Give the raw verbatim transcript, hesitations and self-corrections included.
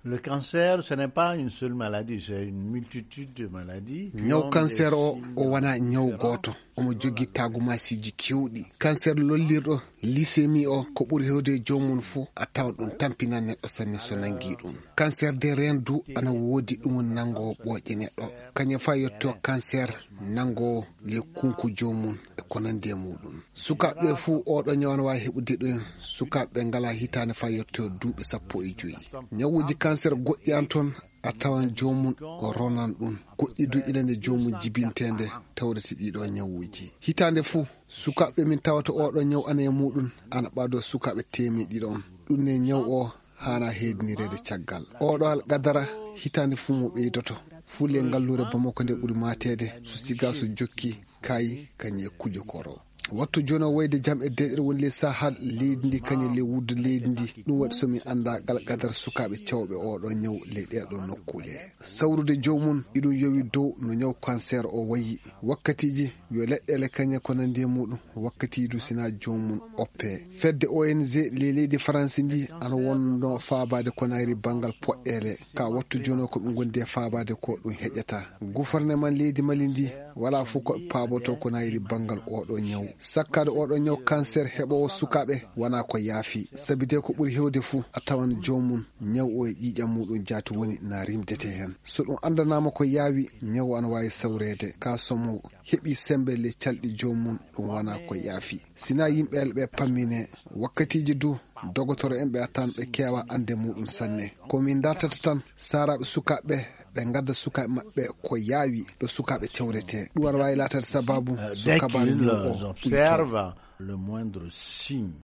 Le cancer, ce n'est pas une seule maladie, c'est une multitude de maladies qui ont des signes différents. Ñaw kanseer o, o wonaa ñaw gooto. Omo jogii taagumaasiiji keewɗi. Kanseer lollirɗo, lisemi o, ko ɓuri heewde e joomum fof, a tawan ɗum tampinan neɗɗo sanne so nanngii ɗum. Kanseer de reen du ana woodi, ɗum woni nanngoowo ɓooƴe neɗɗo. Kañum faa yetto kanseer nanngoowo le kunku joomum e ko nanndi e muuɗum. Sukaaɓe ɓe fuu, oɗo ñaw ana waawi heɓude ɗum. Sukaaɓe ɓe ngalaa hitaande faa yetto duuɓi sappo e joy. Ñawuuji kanseer goɗɗi an toon, a tawan joomum o ronan ɗum. Goɗɗi du ina nde joomum jibinteende tawrete ɗiɗo ñawuuji. Hitaande fuu, sukaaɓe min tawata oɗo ñaw ana e muuɗum, ana ɓaado sukaaɓe teemeɗɗe ɗiɗo on. Ɗum ne ñaw o haana heedinireede caggal. Oɗo alqadara hitaande fuu mo ɓeydoto. Fuu le ngalluure Bamako nde ɓuri maateede, so siga so jokki, kaayi, kañum e kujokoro. Wattu jooni o wayde jam e deeƴre woni le Sahal, leydi ndi kañum le wuddu leydi ndi. Ɗum waɗi so min annda alqadara sukaaɓe cawɓe oɗo ñaw le ɗeeɗo nokkuule. Sawrude joomum, iɗum yowi dow no ñaw kanseer o wayi. Wakkatiiji yo leɗɗeele kañe ko nanndi e muuɗum, wakkatiiji du sina joomum oppe. Fedde O N G le leydi Faransi ndi ana wonno faabaade ko nayri banngal poɗɗeele. Ka wattu jooni o ko ɓe ngondi e faabaade ko ɗum heƴata. Gufarneman leydi Mali ndi wala fof ko ɓe paaboto ko nayri banngal oɗo ñaw. Sakkaade oɗo ñaw kanseer heɓoowo sukaaɓe wona ko yaafi. Sabi de ko ɓuri heewde fuu a tawan joomum ñaw o e ƴiiƴam muuɗum jaati woni na rimdete heen. So ɗum anndanaama ko yaawi, ñaw ana waawi sawreede. Ka somo heɓi sembe le calɗi joomum, ɗum wona ko yaafi. Sina yimɓe ɓe pammine, wakkatiiji du, dogotoro en ɓe a tan ɓe keewa annde muuɗum sanne. Ko min dartata tan, saaraaɓe sukaaɓe, ɓe ngadda sukaaɓe maɓɓe ko yaawi ɗo sukaaɓe cawrete. Ɗum ana waawi laatade sababu so kabaaru ñaw o ɓuyto. Observe le moindre signe.